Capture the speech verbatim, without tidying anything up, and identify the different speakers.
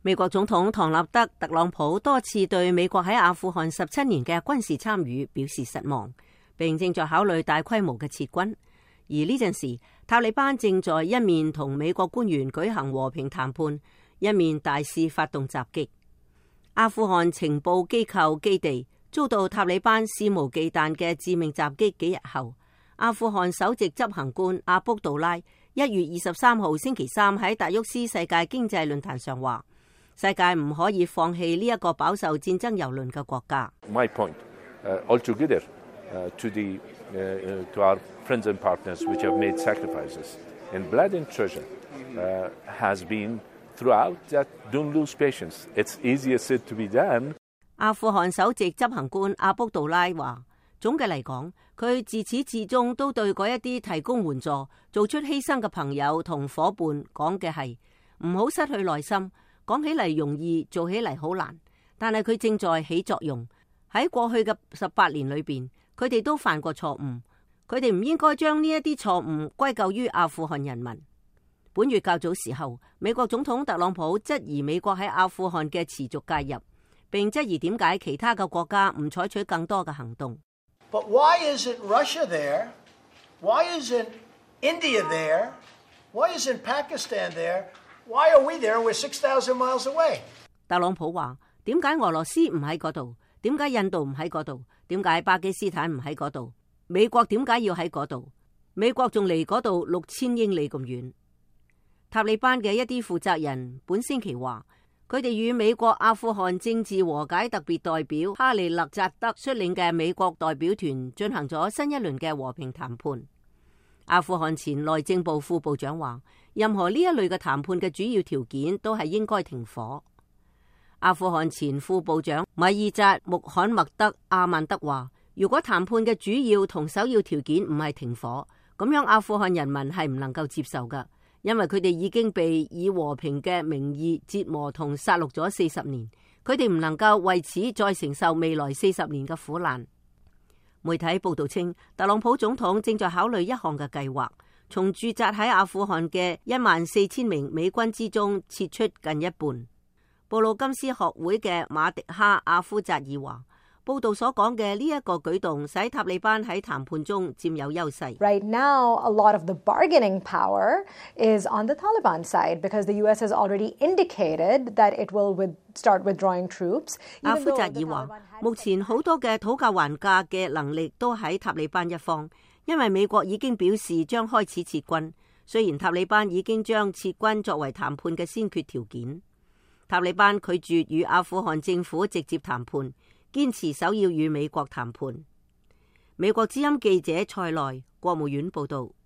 Speaker 1: 美國總統唐納德·特朗普多次對美國喺阿富汗十七年嘅軍事參與表示失望，並正在考慮大規模嘅撤軍。而呢陣時，塔利班正在一面同美國官員舉行和平談判，一面大肆發動襲擊。阿富汗情報機構基地遭到塔利班肆無忌憚嘅致命襲擊幾日後，阿富汗首席執行官阿卜杜拉一月二十三號星期三喺達沃斯世界經濟論壇上話：世界唔可以放棄呢一個飽受戰爭蹂躪嘅國家。
Speaker 2: My point, uh, altogether, uh, to the, uh, to our friends and partners which have made sacrifices in blood and treasure, uh, has been throughout that don't lose patience. It's easier said to be done.
Speaker 1: 阿富汗首席執行官阿卜杜拉話：總嘅嚟講，佢自始至終都對嗰一啲提供援助、做出犧牲嘅朋友同伙伴講嘅係唔好失去耐心。講起嚟容易，做起嚟好難，但係佢正在起作用。喺過去嘅十八年裏邊，佢哋都犯過錯誤，佢哋唔應該將呢一啲錯誤歸咎於阿富汗人民。本月較早時候，美國總統特朗普質疑美國喺阿富汗嘅持續介入，並質疑點解其他嘅國家唔採取更多嘅行動。
Speaker 3: But why isn't Russia there? Why isn't India there? Why isn't Pakistan there?Why are we there? We're six thousand miles away.
Speaker 1: 特朗普話：點解俄羅斯唔喺嗰度？點解印度唔喺嗰度？點解巴基斯坦唔喺嗰度？美國點解要喺嗰度？美國仲離嗰度六千英里咁遠。塔利班嘅一啲負責人本星期話，佢哋與美國阿富汗政治和解特別代表哈利勒扎德率領嘅美國代表團進行咗新一輪嘅和平談判。阿富汗前內政部副部長話，任何呢一類嘅談判嘅主要條件都係應該停火。阿富汗前副部長米爾扎穆罕默德阿曼德話，如果談判嘅主要同首要條件唔係停火，咁樣阿富汗人民係唔能夠接受噶，因為佢哋已經被以和平嘅名義折磨同殺戮咗四十年，佢哋唔能夠為此再承受未來四十年嘅苦難。媒體報道稱，特朗普總統正在考慮一項嘅計劃，從駐紮喺阿富汗嘅一萬四千名美軍之中撤出近一半。布魯金斯學會嘅馬迪哈阿夫扎爾話，報道所講嘅呢一個舉動使塔利班喺談判中佔有優勢。
Speaker 4: Right now, a lot of the bargaining power is on the Taliban side because the U S has already indicated that it will with start withdrawing troops.
Speaker 1: 阿夫扎爾話，目前好多嘅討價還價嘅能力都喺塔利班一方，因為美國已經表示將開始撤軍。雖然塔利班已經將撤軍作為談判嘅先決條件，塔利班拒絕與阿富汗政府直接談判，堅持首要與美國談判。美國之音記者蔡內，國務院報道。